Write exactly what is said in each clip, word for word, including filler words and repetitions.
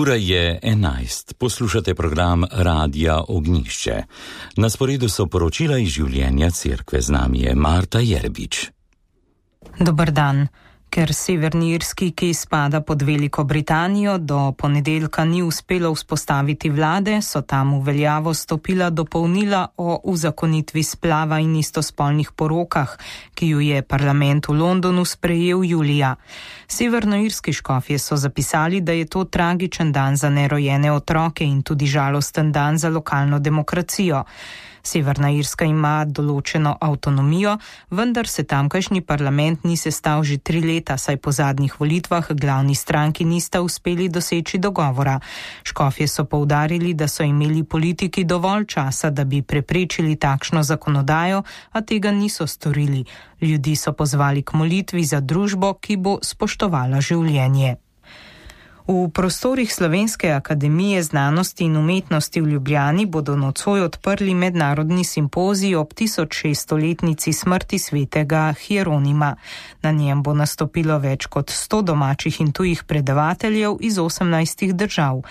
Ura je enajst. Poslušate program Radia Ognjišče. Na sporedu so poročila iz življenja cerkve. Z nami je Marta Jerbič. Dober dan. Ker Severni Irski, ki spada pod Veliko Britanijo, do ponedeljka ni uspelo vzpostaviti vlade, so tam v veljavo stopila dopolnila o uzakonitvi splava in istospolnih porokah, ki ju je parlament v Londonu sprejel julija. Severnoirski škofje so zapisali, da je to tragičen dan za nerojene otroke in tudi žalosten dan za lokalno demokracijo. Severna Irska ima določeno avtonomijo, vendar se tamkajšnji parlament ni sestal že tri leta, saj po zadnjih volitvah glavni stranki nista uspeli doseči dogovora. Škofje so poudarili, da so imeli politiki dovolj časa, da bi preprečili takšno zakonodajo, a tega niso storili. Ljudi so pozvali k molitvi za družbo, ki bo spoštovala življenje. V prostorih Slovenske akademije znanosti in umetnosti v Ljubljani bodo nocoj odprli mednarodni simpozij ob tisočšeststoletnici smrti svetega Hieronima. Na njem bo nastopilo več kot sto domačih in tujih predavateljev iz osemnajstih držav.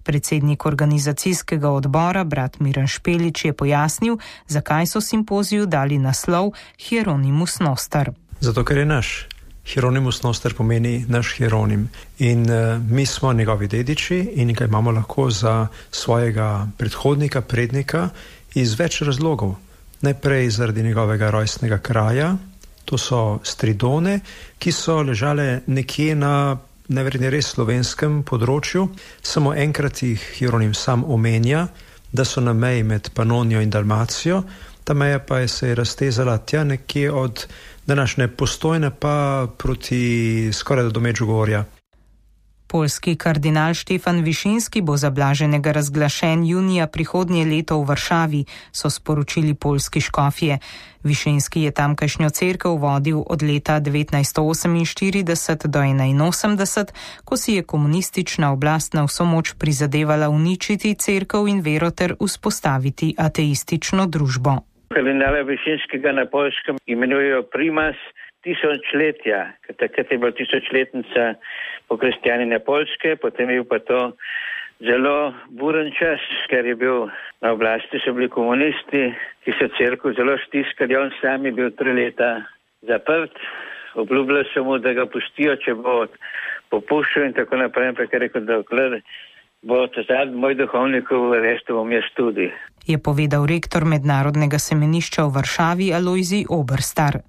Predsednik organizacijskega odbora, brat Miran Špelič, je pojasnil, zakaj so simpoziju dali naslov Hieronimus Noster. Zato, ker je naš. Hieronimus Noster pomeni naš Hieronim in uh, mi smo njegovi dediči in ga imamo lahko za svojega predhodnika, prednika iz več razlogov. Najprej zaradi njegovega rojstnega kraja, to so Stridone, ki so ležale nekje na neverjetno res slovenskem področju. Samo enkrat jih Hieronim sam omenja, da so na meji med Panonijo in Dalmacijo, ta meja pa je se je raztezala tja nekje od današnje Postojne pa proti skoraj do Medžugorja. Poljski kardinal Štefan Višinski bo za blaženega razglašen junija prihodnje leto v Varšavi, so sporočili poljski škofje. Višinski je tamkajšnjo cerkev vodil od leta devetnajststo oseminštirideset do enainosemdeset, ko si je komunistična oblast na vso moč prizadevala uničiti cerkev in vero ter vzpostaviti ateistično družbo. Kardinala Višinskega na Poljskem imenujejo primas tisočletja, ker takrat je bila tisočletnica pokristjanjenja Poljske, potem je bil pa to zelo buren čas, ker je bil na oblasti, so bili komunisti, ki so cerkev zelo stiskali, on sam je bil tri leta zaprt, obljubljali so mu, da ga pustijo, če bo popuščal in tako naprej, ampak je rekel, da dokler bo to zadnji moj duhovnikov, resto bom jaz tudi. Je povedal rektor Mednarodnega semenišča v Varšavi Alojzij Oberstar.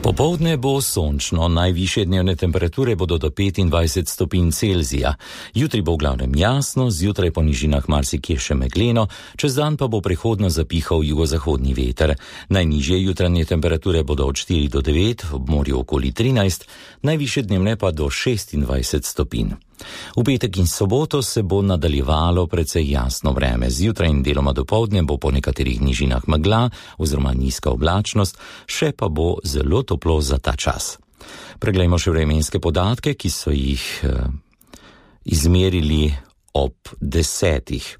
Popoldne bo sončno, najvišje dnevne temperature bodo do petindvajset stopinj Celzija. Jutri bo v glavnem jasno, zjutraj po nižinah marsikje še megleno, čez dan pa bo prehodno zapihal jugozahodni veter. Najnižje jutranje temperature bodo od štiri do devet, ob morju okoli trinajst, najvišje dnevne pa do šestindvajset stopinj. V petek in soboto se bo nadaljevalo precej jasno vreme. Zjutraj in deloma dopoldne bo po nekaterih nižinah megla oziroma nizka oblačnost, še pa bo zelo toplo za ta čas. Preglejmo še vremenske podatke, ki so jih eh, izmerili ob desetih.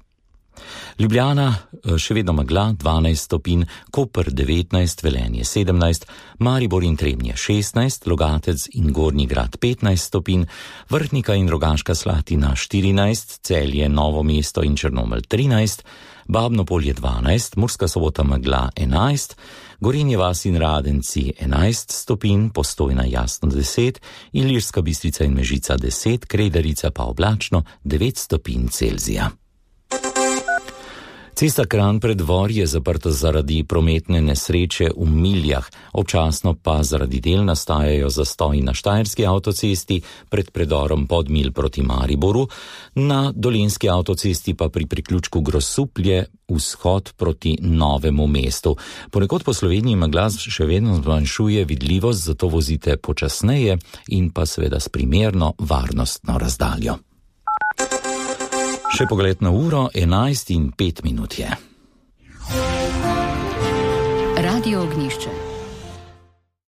Ljubljana še vedno megla dvanajst stopinj, Koper devetnajst, Velenje sedemnajst, Maribor in Trebnje šestnajst, Logatec in Gornji Grad petnajst stopinj, Vrhnika in Rogaška Slatina štirinajst, Celje, Novo mesto in Črnomelj trinajst, Babno Polje dvanajst, Murska Sobota megla enajst, Gorenje vas in Radenci enajst stopinj, Postojna jasno deset, Ilirska Bistrica in Mežica deset, Kredarica pa oblačno devet stopinj Celzija. Cesta Kranj-Preddvor je zaprta zaradi prometne nesreče v Miljah, občasno pa zaradi del nastajajo zastoji na Štajerski avtocesti pred predorom Podmilj proti Mariboru, na Dolenjski avtocesti pa pri priključku Grosuplje vzhod proti Novemu mestu. Ponekod po Sloveniji megla še vedno zmanjšuje vidljivost, zato vozite počasneje in pa seveda s primerno varnostno razdaljo. Še pogled na uro, enajst in pet minut je. Radio Ognjišče.